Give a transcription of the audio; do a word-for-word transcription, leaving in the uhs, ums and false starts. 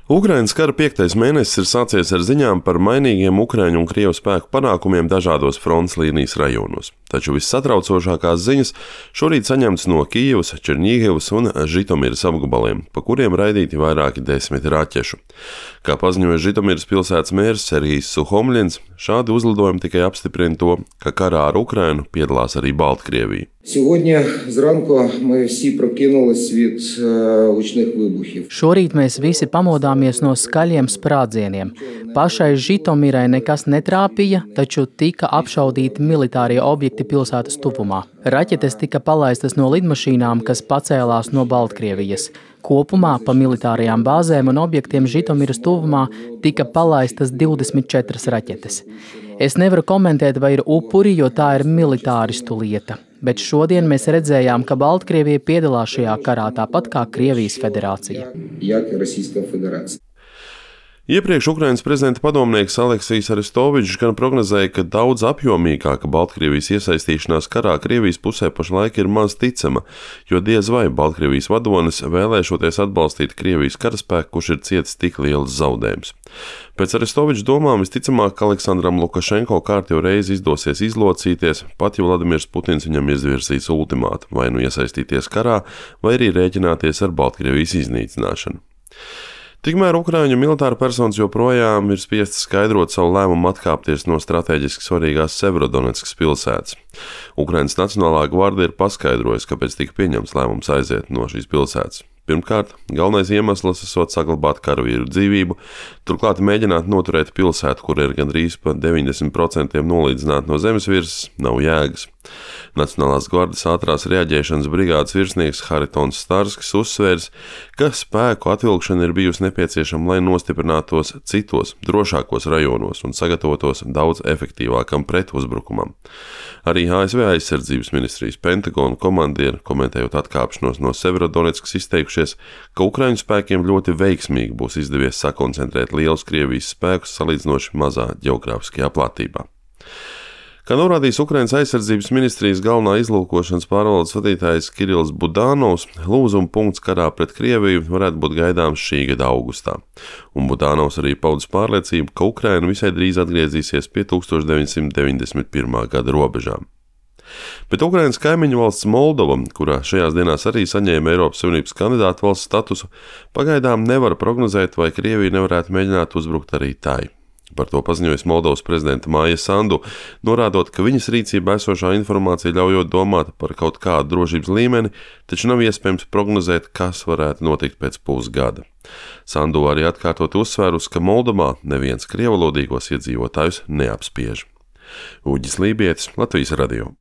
Ukrainas kara piektais mēnesis ir sācies ar ziņām par mainīgiem ukraiņu un krievu spēku panākumiem dažādos frontes līnijas rajonos. Taču vissatraucošākās ziņas šorīt saņemtas no Kijevas, Čerņīgavas un Žitomiras apgabaliem, pa kuriem raidīti vairāki desmiti raķešu. Kā paziņoja Žitomiras pilsētas mērs Serhijs Suhomļins, šādi uzlidojumi tikai apstiprina to, ka karā ar Ukrainu piedalās arī Baltkrievija. Сьогодні зранку ми всі прокинулись від гучних вибухів. Šorīt mēs visi pamodāmies no skaļiem sprādzieniem. Pašai Žitomirai nekas netrāpīja, taču tika apšaudīti militārie objekti pilsētas tuvumā. Raķetes tika palaistas no lidmašīnām, kas pacēlās no Baltkrievijas. Kopumā pa militārajām bāzēm un objektiem Žitomiras tuvumā tika palaistas divdesmit četras raķetes. Es nevaru komentēt, vai ir upuri, jo tā ir militāristu lieta. Bet šodien mēs redzējām, ka Baltkrievija piedalās šajā karā tāpat kā Krievijas federācija. Iepriekš Ukrainas prezidenta padomnieks Aleksijs Arestovičs gan prognozēja, ka daudz apjomīgāka Baltkrievijas iesaistīšanās karā Krievijas pusē pašlaik ir maz ticama, jo diez vai Baltkrievijas vadonis vēlēšoties atbalstīt Krievijas karaspēku, kurš ir cietis tik liels zaudējums. Pēc Arestoviča domām visticamāk, ka Aleksandram Lukašenko kārtējo reizi izdosies izlocīties, pat ja Vladimirs Putins viņam izvirzīs ultimātu, vai nu iesaistīties karā, vai arī rēķināties ar Baltkrievijas iznīcināšanu. Tikmēr Ukraiņu militāra personas joprojām ir spiestas skaidrot savu lēmumu atkāpties no strateģiski svarīgās Severodonetskas pilsētas. Ukrainas Nacionālā gvarde ir paskaidrojusi, kāpēc tika pieņemts lēmums aiziet no šīs pilsētas. Pirmkārt, galvenais iemesls esot saglabāt karavīru dzīvību, turklāt mēģināt noturēt pilsētu, kur ir gandrīz pa deviņdesmit procentiem nolīdzināta no zemes virsmas, nav jēgas. Nacionālās gvardes ātrās reaģēšanas brigādes virsnieks Haritons Starskis uzsvērs, ka spēku atvilkšana ir bijusi nepieciešama, lai nostiprinātos citos, drošākos rajonos un sagatavotos daudz efektīvākam pretuzbrukumam. Arī A S V aizsardzības ministrijas Pentagona komandieri, komentējot atkāpšanos no Severodonetskas, izteikušies, ka Ukraiņu spēkiem ļoti veiksmīgi būs izdevies sakoncentrēt lielus Krievijas spēkus salīdzinoši mazā ģeogrāfiskajā platībā. Kā norādījis Ukrainas aizsardzības ministrijas galvenā izlūkošanas pārvaldes vadītājs Kirills Budanovs, lūzuma punkts karā pret Krieviju varētu būt gaidāms šī gada augustā. Un Budanovs arī paudis pārliecību, ka Ukraina visai drīz atgriezīsies pie tūkstoš deviņsimt deviņdesmit pirmā gada robežām. Bet Ukrainas kaimiņu valsts Moldova, kurā šajās dienās arī saņēma Eiropas Savienības kandidātu valsts statusu, pagaidām nevar prognozēt, vai Krievija nevarētu mēģināt uzbrukt arī tai. Par to paziņojas Moldovas prezidenta Maija Sandu, norādot, ka viņas rīcībā esošā informācija ļaujot domāt par kaut kādu drošības līmeni, taču nav iespējams prognozēt, kas varētu notikt pēc pusgada. Sandu arī atkārtot uzsvērus, ka Moldovā neviens krievalodīgos iedzīvotājus neapspiež. Uģis Lībietis, Latvijas radio.